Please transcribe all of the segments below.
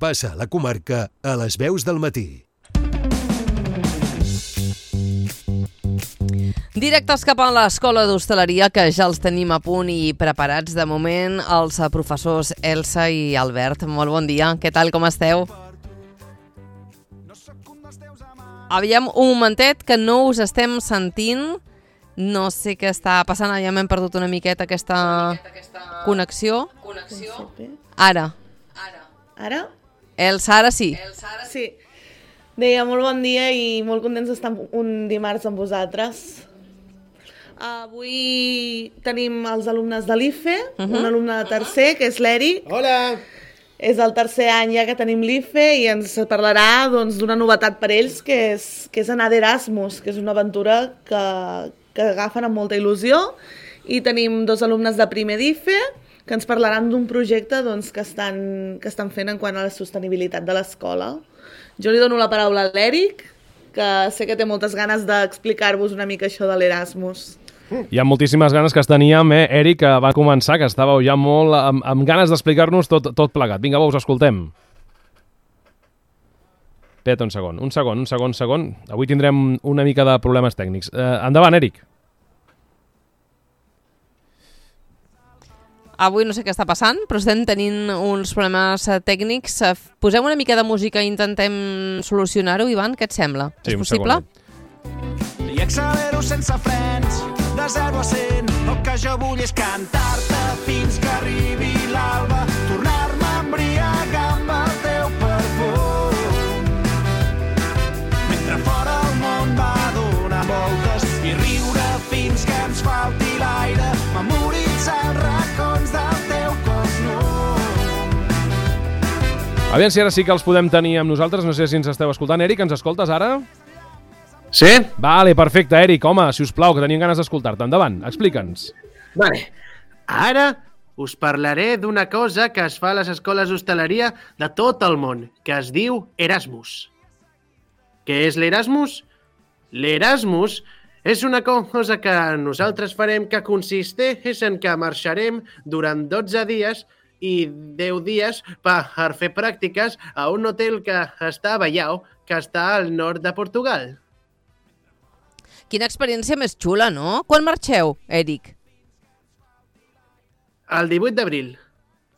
passa a la comarca a les veus del matí. Directes cap a l'Escola d'Hostaleria, que ja els tenim a punt i preparats de moment, els professors Elsa i Albert. Molt bon dia, què tal, com esteu? Aviam, un momentet, que no us estem sentint. No sé què està passant, ja m'hem perdut una miqueta aquesta connexió. Ara. Ara? Elsa, ara sí. Sí. Deia, molt bon dia i molt contents d'estar un dimarts amb vosaltres. Avui tenim els alumnes de l'IFE, un alumne de tercer, que és l'Eric. Hola! És el tercer any ja que tenim l'IFE i ens parlarà d'una novetat per ells, que és anar d'Erasmus, que és una aventura que agafen amb molta il·lusió. I tenim dos alumnes de primer d'IFE que ens parlaran d'un projecte que estan fent en quant a la sostenibilitat de l'escola. Jo li dono la paraula a l'Eric, que sé que té moltes ganes d'explicar-vos una mica això de l'Erasmus. Hi ha moltíssimes ganes que es teníem, Eric, que va començar, que estàveu ja molt amb ganes d'explicar-nos tot plegat. Vinga, us escoltem. Espera't un segon. Avui tindrem una mica de problemes tècnics. Endavant, Eric. Avui no sé què està passant, però estem tenint uns problemes tècnics. Posem una mica de música i intentem solucionar-ho, Ivan, què et sembla? Sí, és possible? I accelero sense frens, de 0 a 100. El que jo vull és cantar-te fins que arribi l'alba, tornar-me a embriagar amb el teu perfum. Mentre fora el món va donar voltes i riure fins que ens falti l'aire, memoritzar els racons del teu cos nu. Aviam si ara sí que els podem tenir amb nosaltres. No sé si ens esteu escoltant. Eric, ens escoltes ara? Sí? Vale, perfecte, Eric. Home, si us plau, que tenim ganes d'escoltar-te. Endavant, explica'ns. Vale. Ara us parlaré d'una cosa que es fa a les escoles d'hostaleria de tot el món, que es diu Erasmus. Què és l'Erasmus? L'Erasmus és una cosa que nosaltres farem que consisteix en que marxarem durant 12 dies i 10 dies per fer pràctiques a un hotel que està a Baiao, que està al nord de Portugal. Quina experiència més xula, no? Quan marxeu, Eric? El 18 d'abril.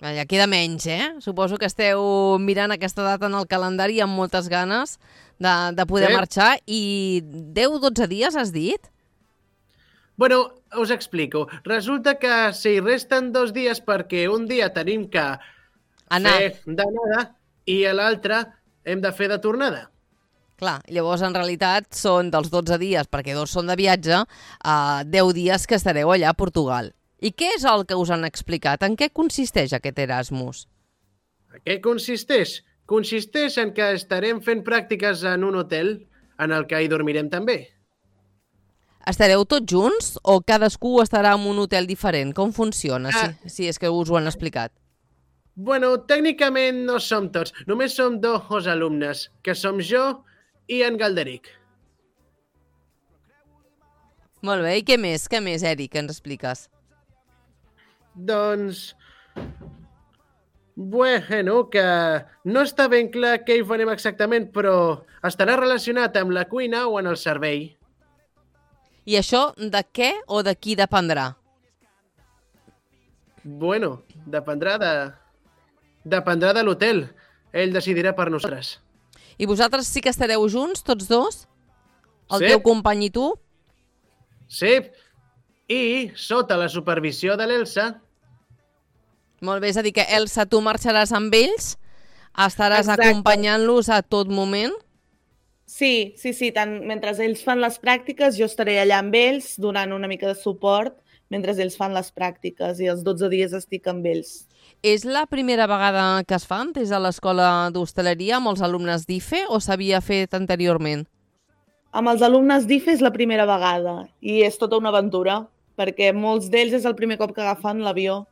Ja queda menys, Suposo que esteu mirant aquesta data en el calendari amb moltes ganes de poder marxar. I 10-12 dies, has dit? Bueno, us explico. Resulta que si resten 2 dies perquè un dia tenim que fer d'anada i l'altre hem de fer de tornada. Clar, llavors en realitat són dels 12 dies, perquè 2 són de viatge, 10 dies que estareu allà a Portugal. I què és el que us han explicat? En què consisteix aquest Erasmus? En què consisteix? Consisteix en que estarem fent pràctiques en un hotel en el que hi dormirem també. Estareu tots junts o cadascú estarà en un hotel diferent? Com funciona, si és que us ho han explicat? Bueno, tècnicament no som tots. Només som 2 alumnes, que som jo i en Galderic. Molt bé, i què més, Eric, ens expliques? Doncs... Bueno, que no està ben clar què hi farem exactament, però estarà relacionat amb la cuina o en el servei. I això de què o de qui dependrà? Bueno, dependrà de l'hotel. Ell decidirà per nosaltres. I vosaltres sí que estareu junts, tots dos? El Sí. teu company i tu? Sí, i sota la supervisió de l'Elsa. Molt bé, és a dir que Elsa, tu marxaràs amb ells, estaràs acompanyant-los a tot moment? Sí, tant mentre ells fan les pràctiques, jo estaré allà amb ells donant una mica de suport mentre ells fan les pràctiques i els 12 dies estic amb ells. És la primera vegada que es fan des de l'escola d'hostaleria amb els alumnes d'IFE o s'havia fet anteriorment? Amb els alumnes d'IFE és la primera vegada i és tota una aventura, perquè molts d'ells és el primer cop que agafen l'avió.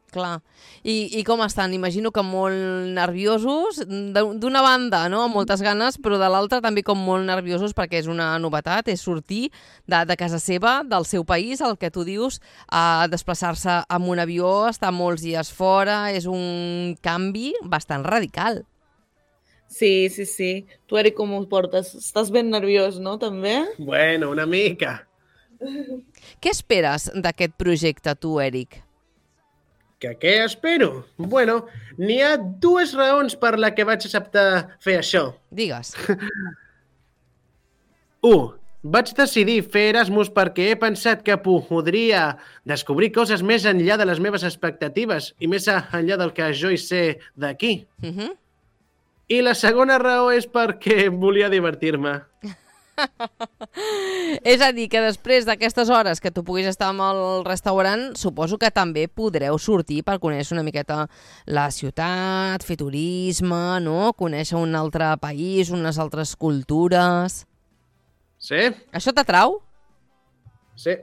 Clar. I com estan? Imagino que molt nerviosos, d'una banda, no?, amb moltes ganes, però de l'altra també com molt nerviosos perquè és una novetat, és sortir de casa seva, del seu país, el que tu dius, a desplaçar-se amb un avió, estar molts dies fora, és un canvi bastant radical. Sí. Tu, Eric, com ho portes? Estàs ben nerviós, no, també? Bueno, una mica. Què esperes d'aquest projecte, tu, Eric? Que què espero? Bueno, n'hi ha dues raons per la que vaig acceptar fer això. Digues. 1. Vaig decidir fer Erasmus perquè he pensat que podria descobrir coses més enllà de les meves expectatives i més enllà del que jo hi sé d'aquí. I la segona raó és perquè volia divertir-me. És a dir, que després d'aquestes hores que tu puguis estar al restaurant, suposo que també podreu sortir per conèixer una miqueta la ciutat, fer turisme, no? Conèixer un altre país, unes altres cultures... Sí? Això t'atrau? Sí.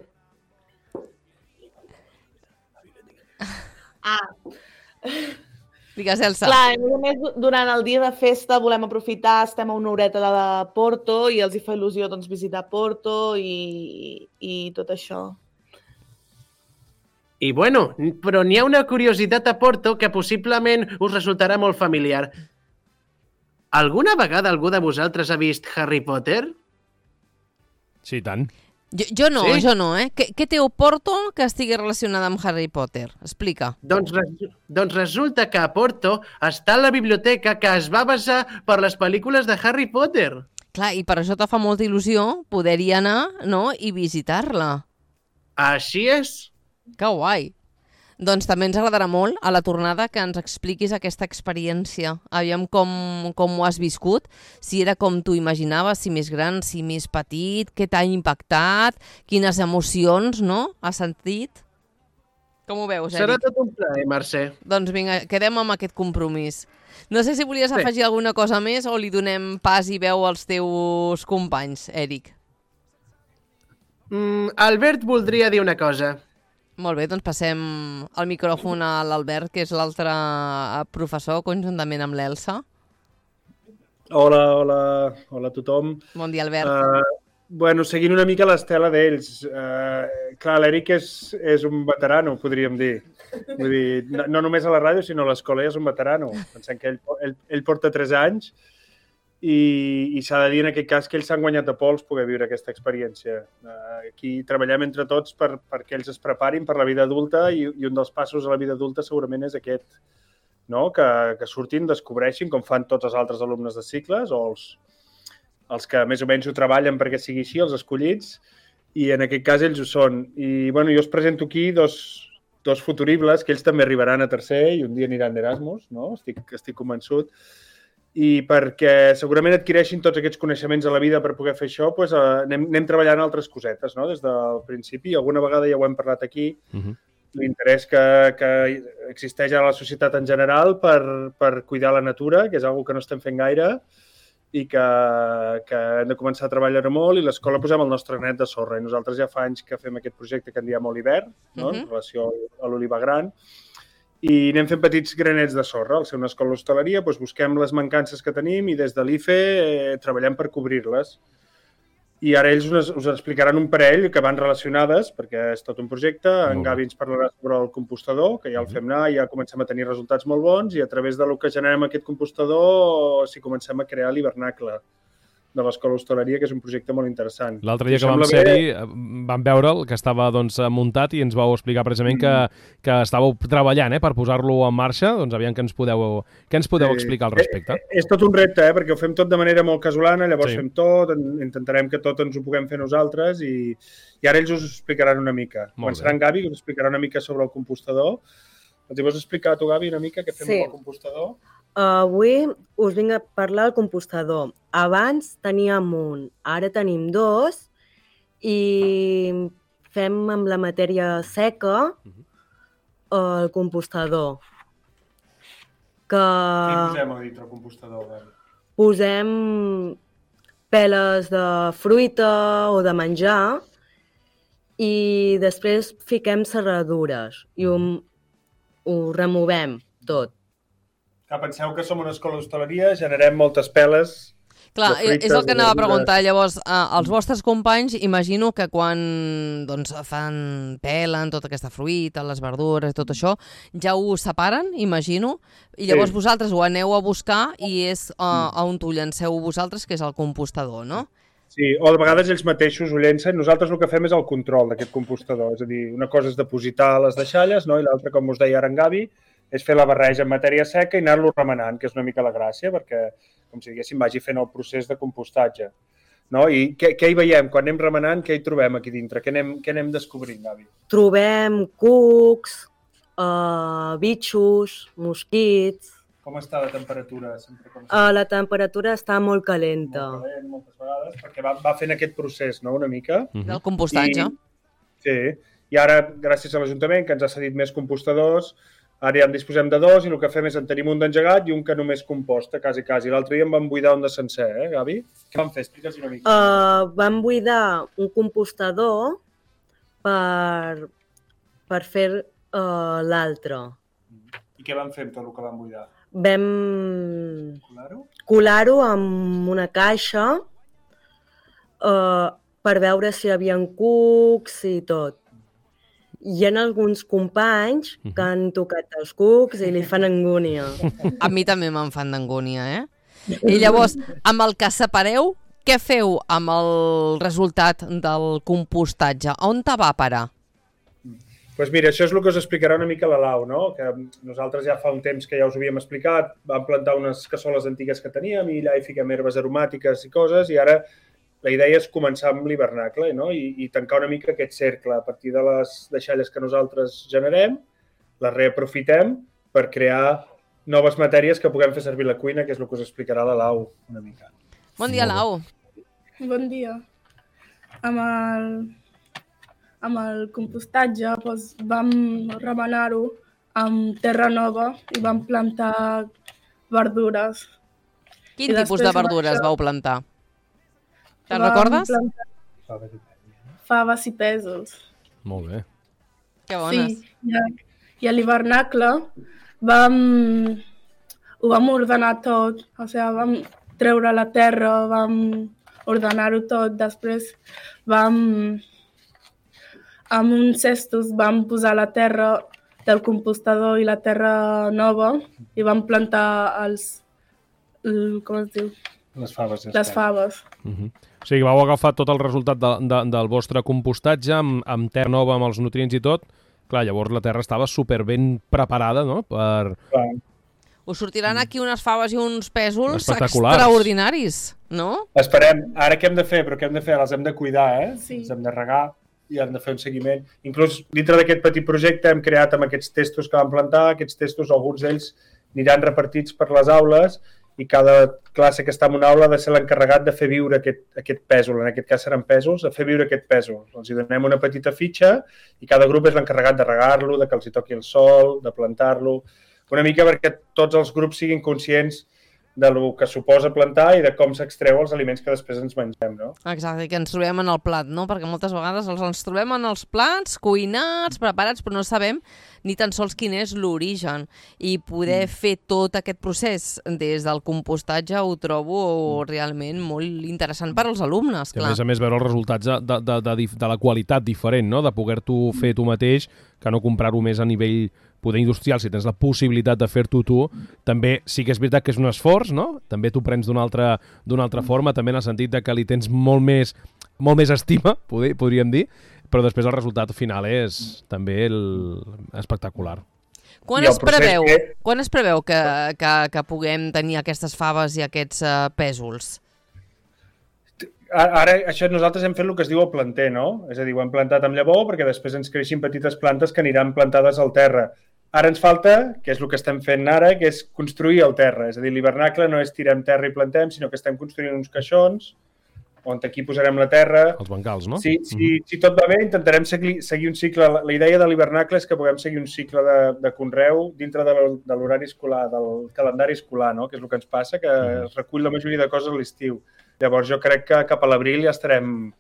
Digues, Elsa. Clar, a més, durant el dia de festa volem aprofitar, estem a una horeta de Porto i els hi fa il·lusió doncs, visitar Porto i tot això. I bueno, però n'hi ha una curiositat a Porto que possiblement us resultarà molt familiar. Alguna vegada algú de vosaltres ha vist Harry Potter? Sí, tant. Jo no, Sí? jo no, eh? Què té Porto que estigui relacionada amb Harry Potter? Explica. Doncs resulta que a Porto està la biblioteca que es va basar per les pel·lícules de Harry Potter. Clar, i per això te fa molta il·lusió poder-hi anar, no?, i visitar-la. Així és. Que guai. Doncs també ens agradarà molt a la tornada que ens expliquis aquesta experiència. Aviam com ho has viscut, si era com tu imaginaves, si més gran, si més petit, què t'ha impactat, quines emocions, no?, has sentit. Com ho veus, Eric? Serà tot un plaer, Mercè. Doncs vinga, quedem amb aquest compromís. No sé si volies afegir alguna cosa més o li donem pas i veu als teus companys, Eric. Albert voldria dir una cosa. Molt bé, doncs passem el micròfon a l'Albert, que és l'altre professor, conjuntament amb l'Elsa. Hola a tothom. Bon dia, Albert. Bueno, seguint una mica l'estela d'ells. Clar, l'Eric és un veterano, podríem dir. Vull dir, no només a la ràdio, sinó a l'escola ja és un veterano. Pensem que ell porta 3 anys i s'ha de dir en aquest cas que ells s'han guanyat a pols poder viure aquesta experiència. Aquí treballem entre tots perquè ells es preparin per la vida adulta i un dels passos a la vida adulta segurament és aquest, no? Que surtin, descobreixin, com fan tots els altres alumnes de cicles o els que més o menys ho treballen perquè sigui així, els escollits, i en aquest cas ells ho són. I bueno, jo us presento aquí dos futuribles que ells també arribaran a tercer i un dia aniran d'Erasmus, no? Estic convençut. I perquè segurament adquireixin tots aquests coneixements a la vida per poder fer això, doncs anem treballant altres cosetes, no? Des del principi. Alguna vegada ja ho hem parlat aquí, l'interès que existeix a la societat en general per cuidar la natura, que és una cosa que no estem fent gaire, i que hem de començar a treballar molt, i l'escola posem el nostre granet de sorra. I nosaltres ja fa anys que fem aquest projecte que en diem Oliver, no? En relació a l'oliva gran, i anem fent petits granets de sorra. Al ser una escola d'hostaleria, doncs busquem les mancances que tenim i des de l'IFE treballem per cobrir-les. I ara ells us explicaran un parell que van relacionades, perquè és tot un projecte. En Gavi ens parlarà sobre el compostador, que ja el fem anar, ja comencem a tenir resultats molt bons, i a través de lo que generem aquest compostador, si comencem a crear l'hivernacle de l'escola d'hostaleria, que és un projecte molt interessant. L'altre dia que vam ser-hi vam veure'l, que estava muntat, i ens vau explicar precisament que estàveu treballant per posar-lo en marxa. Doncs aviam què ens podeu explicar al respecte. És tot un repte, perquè ho fem tot de manera molt casolana, llavors fem tot, intentarem que tot ens ho puguem fer nosaltres, i ara ells us ho explicaran una mica. Començarà en Gavi, que us explicarà una mica sobre el compostador. Els hi vols explicar tu, Gavi, una mica què fem amb el compostador? Avui us vinc a parlar del compostador. Abans teníem un, ara tenim 2 i fem amb la matèria seca el compostador. Què posem a dintre el compostador? Posem peles de fruita o de menjar i després fiquem serradures i ho removem tot. Penseu que som una escola d'hostaleria, generem moltes peles. Clar, fruites, és el que anava a verdures. preguntar. Llavors, els vostres companys, imagino que quan doncs, pelen tota aquesta fruita, les verdures, tot això, ja ho separen, imagino, i llavors vosaltres ho aneu a buscar i és on ho llanceu vosaltres, que és el compostador, no? Sí, o de vegades ells mateixos ho llencen. Nosaltres el que fem és el control d'aquest compostador. És a dir, una cosa és depositar les deixalles, no? I l'altra, com us deia ara en Gavi, és fer la barreja en matèria seca i anar-lo remenant, que és una mica la gràcia, perquè, com si diguéssim, vagi fent el procés de compostatge. No? I què hi veiem? Quan anem remenant, què hi trobem aquí dintre? Què anem descobrint, Gavi? Trobem cucs, bitxos, mosquits. Com està la temperatura? La temperatura està molt calenta. Molt calent, moltes vegades, perquè va fent aquest procés, no?, una mica. Del compostatge. Sí, i ara, gràcies a l'Ajuntament, que ens ha cedit més compostadors, ara ja en disposem de 2 i el que fem és en tenim un d'engegat i un que només composta, quasi. L'altre dia en vam buidar un de sencer, Gavi? Què vam fer? Explica'ls una mica. Vam buidar un compostador per fer l'altre. I què vam fer amb tot el que vam buidar? Vam colar-ho amb una caixa per veure si hi havia cucs i tot. Hi ha alguns companys que han tocat els cucs i li fan angúnia. A mi també me'n fan d'angúnia, I llavors, amb el que separeu, què feu amb el resultat del compostatge? On te va a parar? Doncs mira, això és el que us explicarà una mica la Lau, no? Que nosaltres ja fa un temps que ja us ho havíem explicat, vam plantar unes cassoles antigues que teníem i allà hi fiquem herbes aromàtiques i coses, i ara la idea és començar amb l'hivernacle, no? I tancar una mica aquest cercle. A partir de les deixalles que nosaltres generem, les reaprofitem per crear noves matèries que puguem fer servir a la cuina, que és el que us explicarà la Lau una mica. Bon dia, Lau. Bon dia. Amb el compostatge vam remenar-ho amb terra nova i vam plantar verdures. Quin tipus de verdures vau plantar? Te'n recordes? Faves i pèsols. Molt bé. Que bones. Sí, i a l'hivernacle ho vam ordenar tot, o sigui, vam treure la terra, vam ordenar-ho tot, després amb uns cestos vam posar la terra del compostador i la terra nova i vam plantar com es diu? Les faves. Les faves. O sigui, vau agafar tot el resultat del vostre compostatge amb terra nova, amb els nutrients i tot. Clar, llavors la terra estava super ben preparada, no?, per... Us sortiran aquí unes faves i uns pèsols espectaculars, extraordinaris, no? Esperem. Ara què hem de fer? Però què hem de fer? Les hem de cuidar, Sí. Les hem de regar i hem de fer un seguiment. Inclús dintre d'aquest petit projecte hem creat amb aquests testos que vam plantar, aquests testos, alguns d'ells aniran repartits per les aules i cada classe que està en una aula ha de ser l'encarregat de fer viure aquest pèsol, en aquest cas seran pèsols, a fer viure aquest pèsol. Els hi donem una petita fitxa i cada grup és l'encarregat de regar-lo, de que els hi toqui el sol, de plantar-lo, una mica perquè tots els grups siguin conscients del que suposa plantar i de com s'extreu els aliments que després ens mengem, no? Exacte, que ens trobem en el plat, no? Perquè moltes vegades ens trobem en els plats, cuinats, preparats, però no sabem ni tan sols quin és l'origen. I poder fer tot aquest procés des del compostatge ho trobo realment molt interessant per als alumnes, clar. I a més veure els resultats de la qualitat diferent, no?, de poder-t'ho fer tu mateix, que no comprar-ho més a nivell poder industrial, si tens la possibilitat de fer-t'ho tu, també sí que és veritat que és un esforç, no? També t'ho prens d'una altra forma, també en el sentit de que li tens molt més estima, podríem dir, però després el resultat final és també espectacular. Quan es preveu que puguem tenir aquestes faves i aquests pèsols? Ara, això nosaltres hem fet el que es diu el planter, no? És a dir, ho hem plantat amb llavor perquè després ens creixin petites plantes que aniran plantades al terra. Ara ens falta, que és el que estem fent ara, que és construir el terra. És a dir, l'hivernacle no és tirem terra i plantem, sinó que estem construint uns caixons on aquí posarem la terra. Els bancals, no? Si tot va bé, intentarem seguir un cicle. La idea de l'hivernacle és que puguem seguir un cicle de conreu dintre de l'horari escolar, del calendari escolar, no? Que és el que ens passa, que es recull la majoria de coses a l'estiu. Llavors jo crec que cap a l'abril ja estarem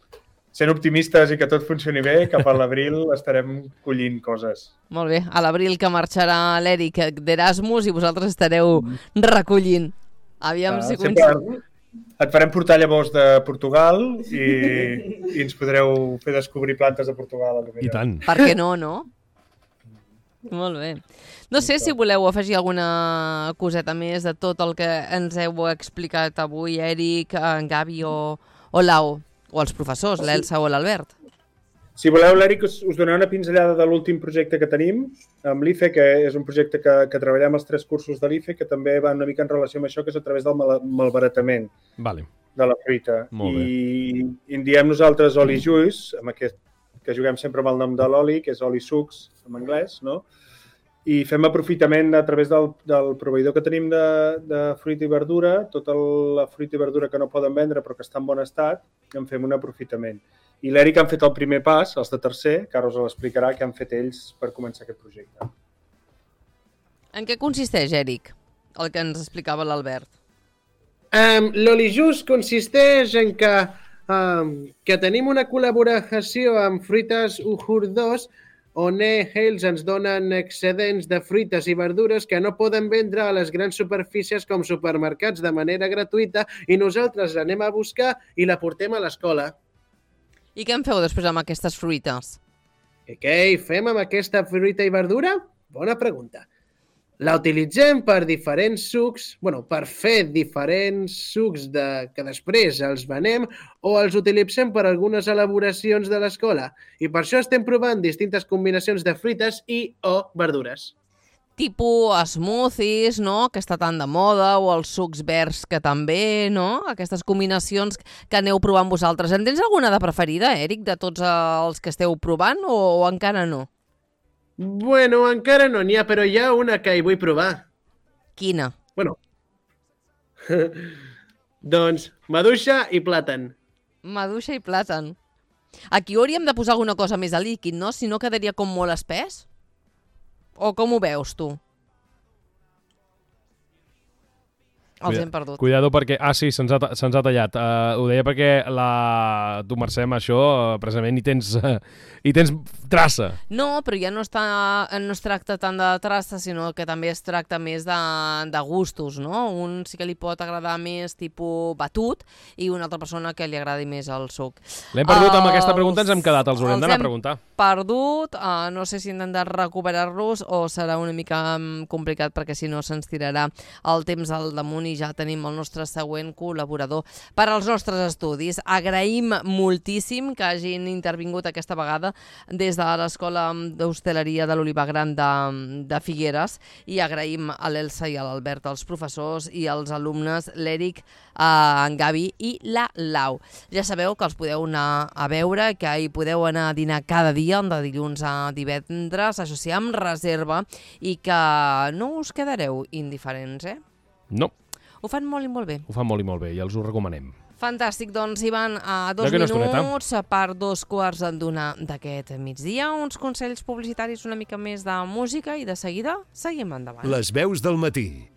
sent optimistes i que tot funcioni bé, cap a l'abril estarem collint coses. Molt bé, a l'abril que marxarà l'Eric d'Erasmus i vosaltres estareu recollint. Aviam si Et farem portar llavors de Portugal i ens podreu fer descobrir plantes de Portugal. I tant. Per què no, no? Molt bé. No sé si voleu afegir alguna coseta més de tot el que ens heu explicat avui, Eric, en Gavi o Lau, o els professors, l'Elsa o l'Albert. Si voleu, l'Eric us donarà una pinzellada de l'últim projecte que tenim amb l'IFE, que és un projecte que treballem els 3 cursos de l'IFE, que també va una mica en relació amb això, que és a través del malbaratament de la fruita. I en diem nosaltres oli juice, amb aquest, que juguem sempre amb el nom de l'oli, que és oli sucs en anglès, no? I fem aprofitament a través del proveïdor que tenim de fruita i verdura, tota la fruita i verdura que no poden vendre però que està en bon estat, en fem un aprofitament. I l'Eric han fet el primer pas, els de tercer, que ara us l'explicarà, que han fet ells per començar aquest projecte. En què consisteix, Eric, el que ens explicava l'Albert? L'Olijust consisteix en que tenim una col·laboració amb Fruites Uhur 2, on ells ens donen excedents de fruites i verdures que no poden vendre a les grans superfícies com supermercats de manera gratuïta i nosaltres l'anem a buscar i la portem a l'escola. I què en feu després amb aquestes fruites? Què hi fem amb aquesta fruita i verdura? Bona pregunta. La utilitzem per diferents sucs, per fer diferents sucs que després els venem o els utilitzem per algunes elaboracions de l'escola. I per això estem provant distintes combinacions de fruites i o verdures. Tipus smoothies, no?, que està tan de moda, o els sucs verds que també, no? Aquestes combinacions que aneu provant vosaltres. En tens alguna de preferida, Eric, de tots els que esteu provant o encara no? Bueno, encara no n'hi ha, però hi ha una que hi vull provar. Quina? Doncs maduixa i plàtan. Maduixa i plàtan. Aquí hauríem de posar alguna cosa més de líquid, no? Si no quedaria com molt espès? O com ho veus, tu? Els hem perdut. Cuidado perquè... sí, se'ns ha tallat. Ho deia perquè tu, Mercè, amb això, precisament hi tens traça. No, però ja no es tracta tant de traça, sinó que també es tracta més de gustos, no? Un sí que li pot agradar més tipus batut i una altra persona que li agradi més el suc. L'hem perdut amb aquesta pregunta, ens hem quedat, els haurem d'anar a preguntar. Perdut, no sé si hem de recuperar-los o serà una mica complicat perquè si no se'ns tirarà el temps al damunt i ja tenim el nostre següent col·laborador per als nostres estudis. Agraïm moltíssim que hagin intervingut aquesta vegada des de l'Escola d'Hostaleria de l'Olivar Gran de Figueres i agraïm a l'Elsa i a l'Albert, els professors i els alumnes, l'Eric, en Gavi i la Lau. Ja sabeu que els podeu anar a veure, que hi podeu anar a dinar cada dia, de dilluns a divendres, això sí, amb reserva, i que no us quedareu indiferents, No. Ho fan molt i molt bé. Ho fan molt i molt bé i els ho recomanem. Fantàstic, doncs hi van a 2 minuts per 2:15 d'aquest migdia. Uns consells publicitaris, una mica més de música i de seguida seguim endavant. Les veus del matí.